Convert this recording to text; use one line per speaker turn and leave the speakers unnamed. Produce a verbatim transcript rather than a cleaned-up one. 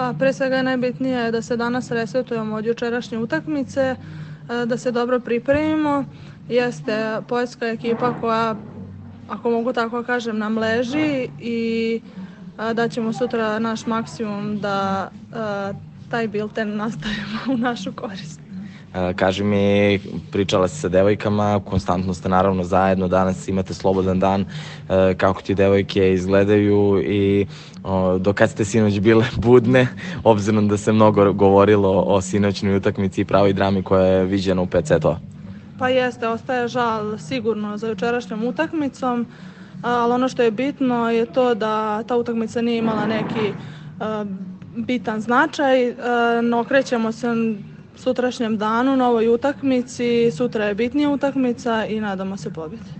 Pa pre svega je najbitnije da se danas resetujemo od jučerašnje utakmice, da se dobro pripremimo. Jeste Poljska ekipa koja, ako mogu tako kažem, nam leži i da ćemo sutra naš maksimum da taj bilten nastavimo u našu korist.
Kaži mi, pričala si sa devojkama, konstantno ste naravno zajedno, danas imate slobodan dan, kako ti devojke izgledaju i do kad ste sinoć bile budne, obzirom da se mnogo govorilo o sinoćnoj utakmici i pravoj drami koja je viđena u pet setova?
Pa jeste, ostaje žal sigurno za jučerašnjom utakmicom, ali ono što je bitno je to da ta utakmica nije imala neki bitan značaj, no okrećemo se sutrašnjem danu, novoj utakmici, sutra je bitnija utakmica i nadamo se pobjedi.